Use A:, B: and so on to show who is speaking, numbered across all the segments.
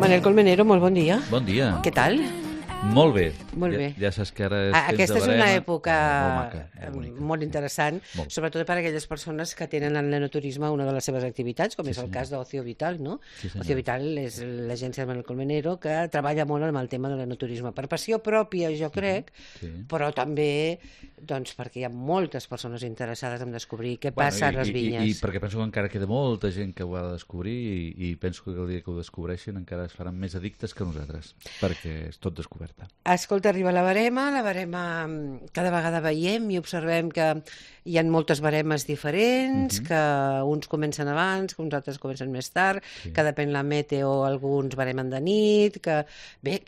A: Manel Colmenero, molt bon dia.
B: Bon dia.
A: Què tal?
B: Molt bé.
A: Molt bé.
B: Ja saps que ara és
A: Aquesta és una època
B: molt
A: interessant, sobretot per a aquelles persones que tenen en l'enoturisme una de les seves activitats, com és el cas d'Ocio Vital, no? Ocio Vital és l'agència de Manel Colmenero que treballa molt amb el tema de l'enoturisme per passió pròpia, jo crec, però també doncs, perquè hi ha moltes persones interessades en descobrir què passa a les vinyes.
B: I perquè penso que encara queda molta gent que ho ha de descobrir i penso que el dia que ho descobreixin encara es faran més addictes que nosaltres, perquè és tot descobert.
A: Escolta, arriba la barema cada vegada veiem i observem que hi ha moltes baremes diferents, que uns comencen abans, que uns altres comencen més tard, que depèn la meteo, alguns baremen de nit, que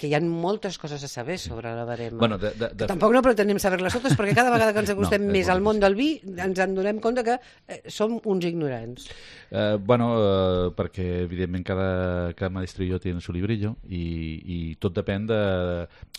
A: hi ha moltes coses a saber sobre la barema.
B: Bueno,
A: tampoc no pretenem saber-les totes, perquè cada vegada que ens acostem més al món del vi ens en donem compte que som uns ignorants.
B: Perquè evidentment cada maestrillo tiene su librillo i tot depèn de...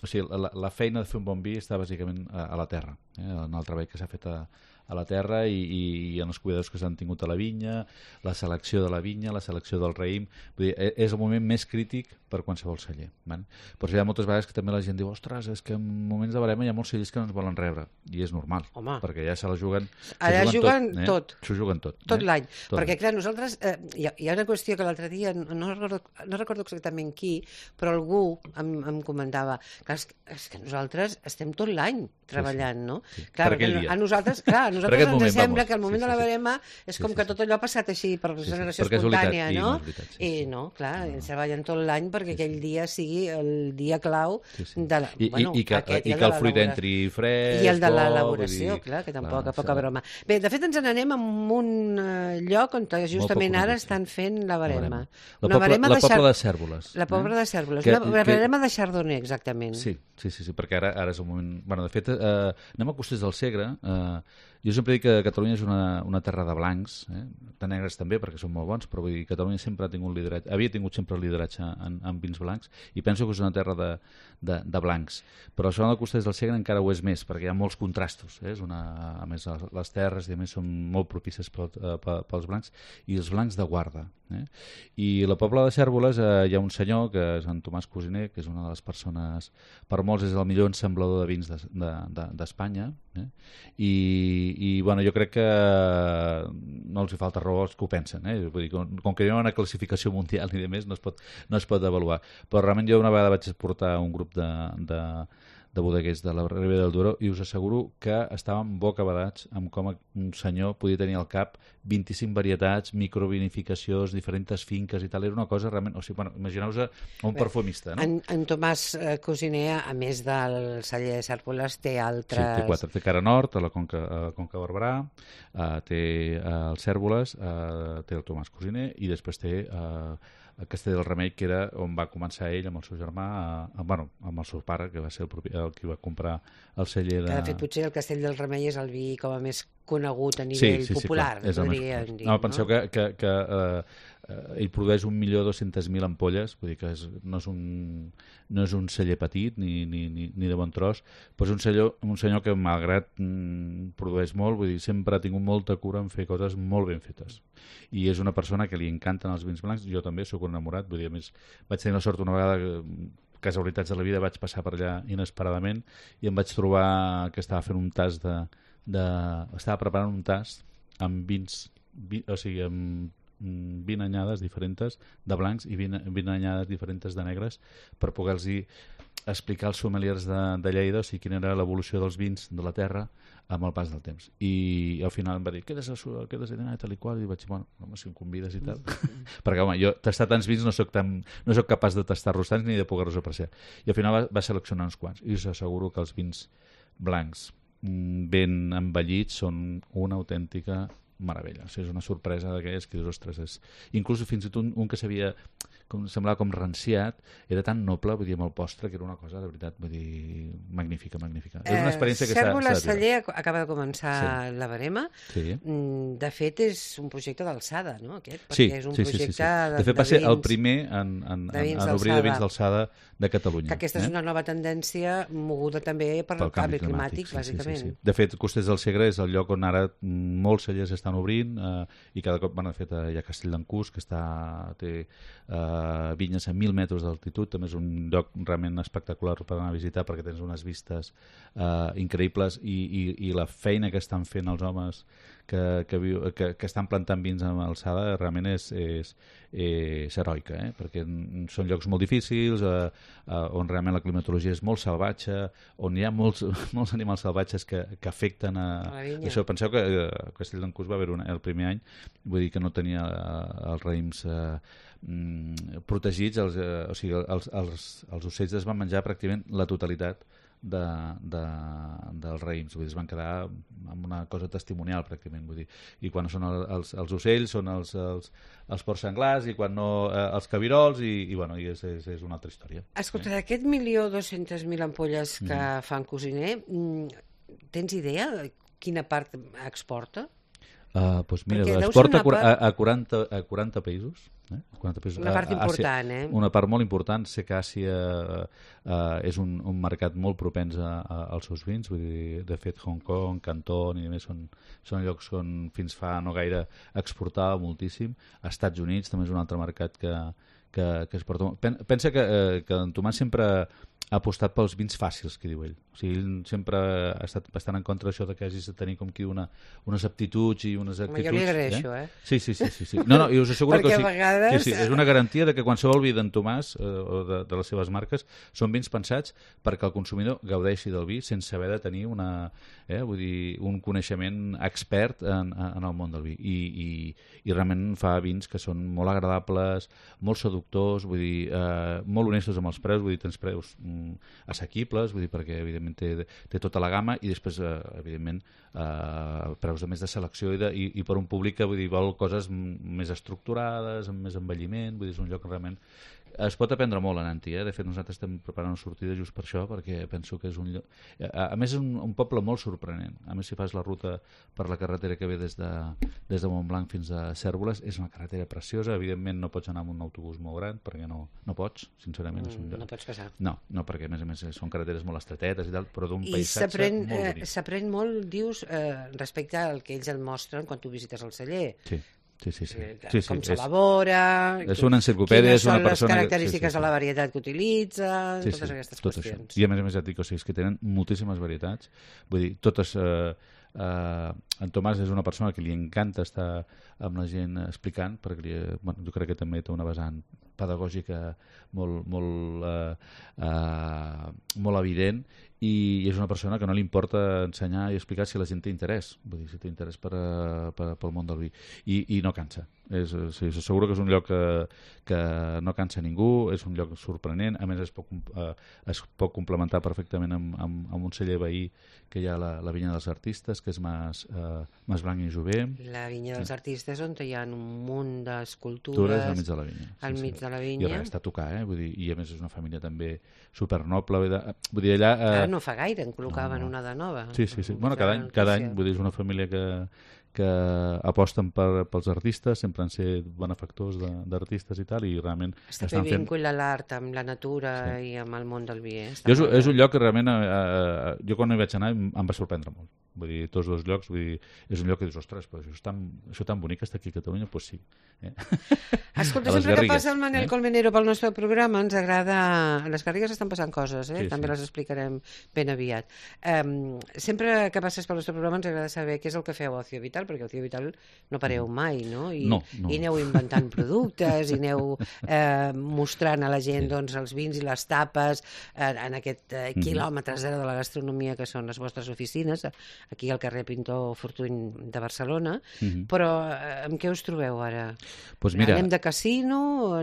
B: O sigui, la feina de fer un bon vi està bàsicament a la terra, en el treball que s'ha fet a la terra i en els cuidadors que s'han tingut a la vinya, la selecció de la vinya, la selecció del raïm. Vull dir, és el moment més crític per qualsevol celler. Però hi ha moltes vegades que també la gent diu ostres, és que en moments de barema hi ha molts cellers que no ens volen rebre. I és normal, perquè ja se la juguen...
A: Allà juguen tot.
B: S'ho juguen tot.
A: Tot l'any. Perquè, clar, nosaltres... Hi ha una qüestió que l'altre dia, no recordo exactament qui, però algú em comentava que és que nosaltres estem tot l'any treballant, no? Clar, a nosaltres ens sembla que al moment de la barema és com que tot allò ha passat així per generació espontània, no? I no, clar, treballen tot l'any perquè aquell dia sigui el dia clau de la...
B: I que el fruit entri fresc...
A: I el de l'elaboració, clar, que tampoc, a poca broma. Bé, de fet ens n'anem a un lloc on justament ara estan fent la barema.
B: La Pobla de Cérvoles.
A: La Pobla de Cérvoles. La barema de Chardonnay, exactament.
B: Sí, perquè ara és el moment... Bueno, de fet, anem a Costers del Segre. Jo sempre dic que Catalunya és una terra de blancs, de negres també, perquè són molt bons, però vull dir, Catalunya sempre ha tingut lideratge, havia tingut sempre lideratge en vins blancs, i penso que és una terra de blancs. Però la zona de Costers del Segre encara ho és més, perquè hi ha molts contrastos. A més, les terres i a més són molt propices pels blancs, i els blancs de guarda. I a la Pobla de Cérvoles hi ha un senyor, que és en Tomàs Cosiner, que és una de les persones, per molts és el millor ensamblador de vins d'Espanya, i bueno, jo crec que no els hi falta raó als que ho pensen, vull dir, com que hi ha una classificació mundial i de més no es pot avaluar, però realment jo una vegada vaig portar un grup de bodeguers de la Ribera del Duero i us asseguro que estàvem bocabadats amb com un senyor podia tenir al cap 25 varietats, microvinificacions, diferents finques i tal, era una cosa realment... O sigui, bueno, imagineu-vos un perfumista, no?
A: En Tomàs Cosiner, a més del celler de Cérvoles, té altres...
B: Sí, té 4. Té Cara Nord, a la Conca Barberà, té el Cérvoles, té el Tomàs Cosiner i després té... a Castell del Remei, que era on va començar ell amb el seu germà, amb el seu pare, que va ser el qui va comprar el celler de...
A: De fet, potser el Castell del Remei és el vi com a més conegut a nivell popular, podríem dir.
B: No, penseu que ell produeix 1.200.000 ampolles, vull dir que no és un celler petit ni de bon tros, però és un senyor que malgrat produeix molt, vull dir, sempre ha tingut molta cura en fer coses molt ben fetes. I és una persona que li encanten els vins blancs, jo també sóc enamorat, vull dir, a més vaig tenir la sort una vegada, casualitats de la vida, vaig passar per allà inesperadament i em vaig trobar que estava fent un tast estava preparant un tast amb vins, o sigui, amb 20 anyades diferents de blancs i 20 anyades diferents de negres per poder-los explicar als sommeliers de Lleida, o sigui, quina era l'evolució dels vins de la terra amb el pas del temps. I al final em va dir, què has de dinar, tal i qual, i vaig dir, bueno, si em convides i tal. Perquè, home, jo tastar tants vins no soc capaç de tastar-los tants ni de poder-los apreciar. I al final va seleccionar uns quants. I us asseguro que els vins blancs ben envellits són una autèntica meravella. O sigui, és una sorpresa d'aquelles que dius, ostres, inclús fins i tot un que semblava com ranciat, era tan noble, vull dir, amb el postre, que era una cosa, de veritat, vull dir, magnífica. És una experiència que s'ha de viure.
A: Cérvoles Celler acaba de començar la barema. De fet, és un projecte d'alçada, no, aquest? Perquè és un projecte
B: de fet, va ser el primer en obrir de vins d'alçada de Catalunya.
A: Que aquesta és una nova tendència moguda també per el canvi climàtic, bàsicament.
B: De fet, Costers del Segre és el lloc on ara molts cellers estan obrint i cada cop, de fet, hi ha Castell d'en Cus, que té vinyes a 1.000 metres d'altitud, també és un lloc realment espectacular per anar a visitar perquè tens unes vistes increïbles i la feina que estan fent els homes que estan plantant vins amb alçada realment és heroica, perquè són llocs molt difícils, on realment la climatologia és molt salvatge, on hi ha molts animals salvatges que afecten a això. Penseu que a Castell d'Encús va haver el primer any, vull dir que no tenia els raïms protegits, o sigui, els ocells es van menjar pràcticament la totalitat dels raïms, vull dir, es van quedar amb una cosa testimonial pràcticament, vull dir, i quan són els ocells són els porcs senglars i quan no els cabirols i bueno, és una altra història.
A: Escolta, d'aquest 1.200.000 ampolles que fan Cosiner, tens idea de quina part exporta?
B: Doncs mira, exporta a 40 països. 40 països.
A: Una part important,
B: Una part molt important. Sé que Àsia és un mercat molt propens als seus vins. Vull dir, de fet, Hong Kong, Canton i més són llocs on fins fa no gaire exportava moltíssim. A Estats Units també és un altre mercat que exporta molt. Pensa que en Tomàs sempre ha apostat pels vins fàcils, que diu ell. O sigui, ell sempre ha estat bastant en contra d'això que hagis de tenir com que unes aptituds i unes actituds.
A: Jo li agraeixo,
B: Sí. No, i us asseguro que
A: a vegades...
B: sí, és una garantia de que qualsevol vi d'en Tomàs o de les seves marques són vins pensats perquè el consumidor gaudeixi del vi sense haver de tenir vull dir, un coneixement expert en el món del vi. I realment fa vins que són molt agradables, molt seductors, vull dir, molt honestos amb els preus, vull dir, tens preus assequibles, vull dir, perquè evidentment té tota la gamma i després evidentment preus de més de selecció i per un públic que vull dir, vol coses més estructurades, amb més envelliment, vull dir, és un lloc realment es pot aprendre molt anant-hi, De fet, nosaltres estem preparant una sortida just per això, perquè penso que és un lloc... A més, és un poble molt sorprenent. A més, si fas la ruta per la carretera que ve des de Montblanc fins a Cérvoles, és una carretera preciosa. Evidentment, no pots anar amb un autobús molt gran, perquè no pots, sincerament. És un lloc.
A: No pots passar.
B: No, perquè a més són carreteres molt estretetes i tal, però d'un paisatge molt bonic.
A: I s'aprèn molt, dius, respecte al que ells et mostren quan tu visites el celler.
B: Sí.
A: Com s'elabora,
B: és una enciclopèdia,
A: quines són les característiques de la varietat que utilitzen, totes aquestes qüestions.
B: I a més et dic, és que tenen moltíssimes varietats, vull dir, totes... en Tomàs és una persona que li encanta estar amb la gent explicant, perquè jo crec que també té una vessant pedagògica molt evident i és una persona que no li importa ensenyar i explicar si la gent té interès, vull dir, si té interès pel món del vi i no cansa. Segur que és un lloc que no cansa ningú, és un lloc sorprenent, a més es pot complementar perfectament amb un celler veí que hi ha la vinya dels artistes, que és Mas Blanc i Jover.
A: La vinya dels artistes on hi ha un munt d'escultures
B: al mig de la vinya.
A: Al mig de la vinya.
B: I res, està a tocar, vull dir, i a més és una família també supernoble. Vull dir, allà...
A: Ara no fa gaire en col·locaven una de nova.
B: Sí. Bueno, cada any, vull dir, és una família que aposten pels artistes, sempre han set benefactors d'artistes i tal, i realment
A: estan fent... vincula l'art amb la natura i amb el món del vi.
B: És un lloc que realment jo quan hi vaig anar em va sorprendre molt. Vull dir, tots dos llocs, vull dir, és un lloc que dius, ostres, però això tan bonic està aquí a Catalunya, doncs sí.
A: Escolta, sempre que passa el Manel Colmenero pel nostre programa ens agrada... A les Garrigues estan passant coses, també les explicarem ben aviat. Sempre que passes pel nostre programa ens agrada saber què és el que feu a Ocio Vital, perquè a Ocio Vital no pareu mai, no? I aneu inventant productes, i aneu mostrant a la gent els vins i les tapes en aquest quilòmetre zero de la gastronomia que són les vostres oficines, aquí al carrer Pintor Fortuny de Barcelona, però amb què us trobeu ara? Anem de casino?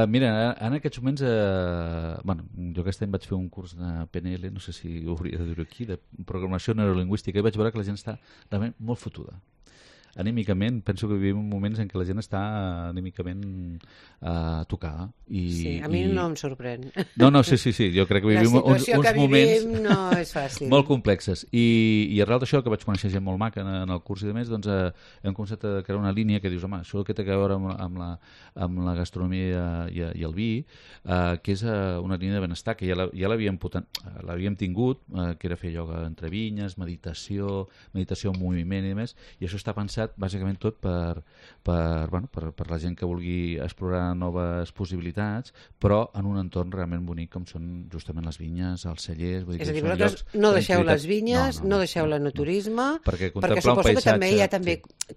B: Mira, en aquests moments jo aquest any vaig fer un curs de PNL, no sé si ho hauria de dir aquí, de programació neurolingüística, i vaig veure que la gent està realment molt fotuda. Anímicament, penso que vivim moments en què la gent està anímicament tocada.
A: Sí, a mi no em sorprèn.
B: No, sí, jo crec que vivim uns moments
A: no és fàcil.
B: Molt complexes. I arrel d'això, que vaig conèixer gent molt maca en el curs i demés, doncs hem començat a crear una línia que dius, home, això que té a veure amb la gastronomia i el vi, que és una línia de benestar, que ja l'havíem tingut, que era fer ioga entre vinyes, meditació en moviment i demés, i això està pensat pensat bàsicament tot per la gent que vulgui explorar noves possibilitats, però en un entorn realment bonic com són justament les vinyes, els cellers... Vull dir,
A: és a dir, vosaltres no deixeu les vinyes, no deixeu l'enoturisme, perquè suposo que també ja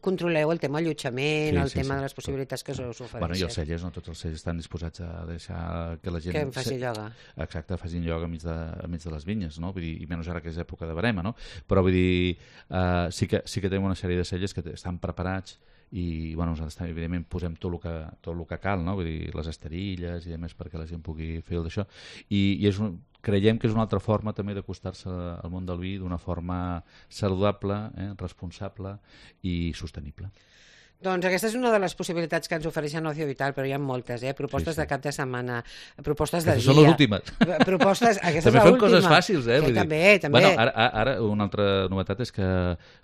A: controleu el tema allotjament, el tema de les possibilitats que us ofereixen.
B: Bueno, i els cellers, no tots els cellers estan disposats a deixar que la gent...
A: Que en faci ioga.
B: Exacte, facin ioga enmig de les vinyes, no? Vull dir, i menys ara que és època de verema, no? Però vull dir, sí que tenim una sèrie de cellers que estan preparats i nosaltres també evidentment posem tot el que cal, no? Vull dir, les esterilles i a més perquè la gent pugui fer el d'això i creiem que és una altra forma també d'acostar-se al món del vi d'una forma saludable, responsable i sostenible.
A: Doncs aquesta és una de les possibilitats que ens ofereixen Ocio Vital, però hi ha moltes, propostes de cap de setmana, propostes de dia.
B: Són les últimes.
A: També
B: fem coses fàcils,
A: Vull dir. També.
B: Bueno, ara una altra novetat és que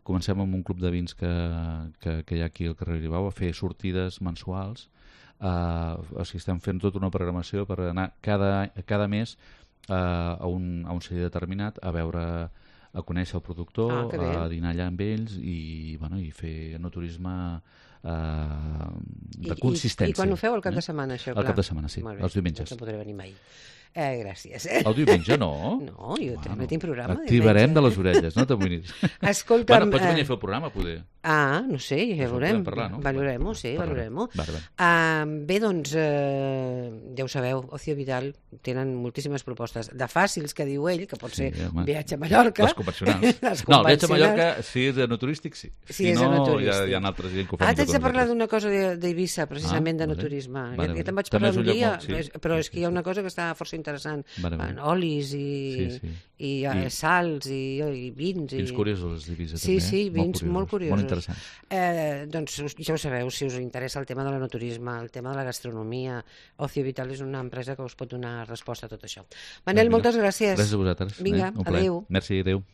B: comencem amb un club de vins que hi ha aquí al carrer Ribau a fer sortides mensuals. O sigui, estem fent tota una programació per anar cada mes a un celler determinat a conèixer el productor, a dinar allà amb ells i fer enoturisme de consistència.
A: I quan ho feu el cap de setmana, això?
B: El cap de setmana, sí, els diumenges.
A: No podré venir mai. Gràcies.
B: El diumenge no?
A: No, jo també tinc programa.
B: Activarem de les orelles, no t'amoïnis.
A: Escolta'm...
B: Pots venir a fer el programa, poder.
A: No sé, ja veurem. Valorem-ho, sí, valorem-ho. Bé, doncs, ja ho sabeu, Ocio Vital tenen moltíssimes propostes de fàcils, que diu ell, que pot ser viatge a Mallorca.
B: Les convencionals. No, el viatge a Mallorca, si és enoturístic, sí.
A: Si és enoturístic.
B: Hi ha altres gent que ho fan.
A: T'haig de parlar d'una cosa d'Eivissa, precisament d'enoturisme. Ja te'n vaig parlar un dia, però és que hi ha una cosa que està força interessant. Olis i sals i vins.
B: Vins curiosos d'Eivissa, també.
A: Sí, vins molt curiosos.
B: Molt interessant.
A: Doncs ja ho sabeu, si us interessa el tema de l'enoturisme, el tema de la gastronomia, Ocio Vital és una empresa que us pot donar resposta a tot això. Manel, moltes gràcies.
B: Gràcies a vosaltres.
A: Vinga, adéu.
B: Merci, adéu.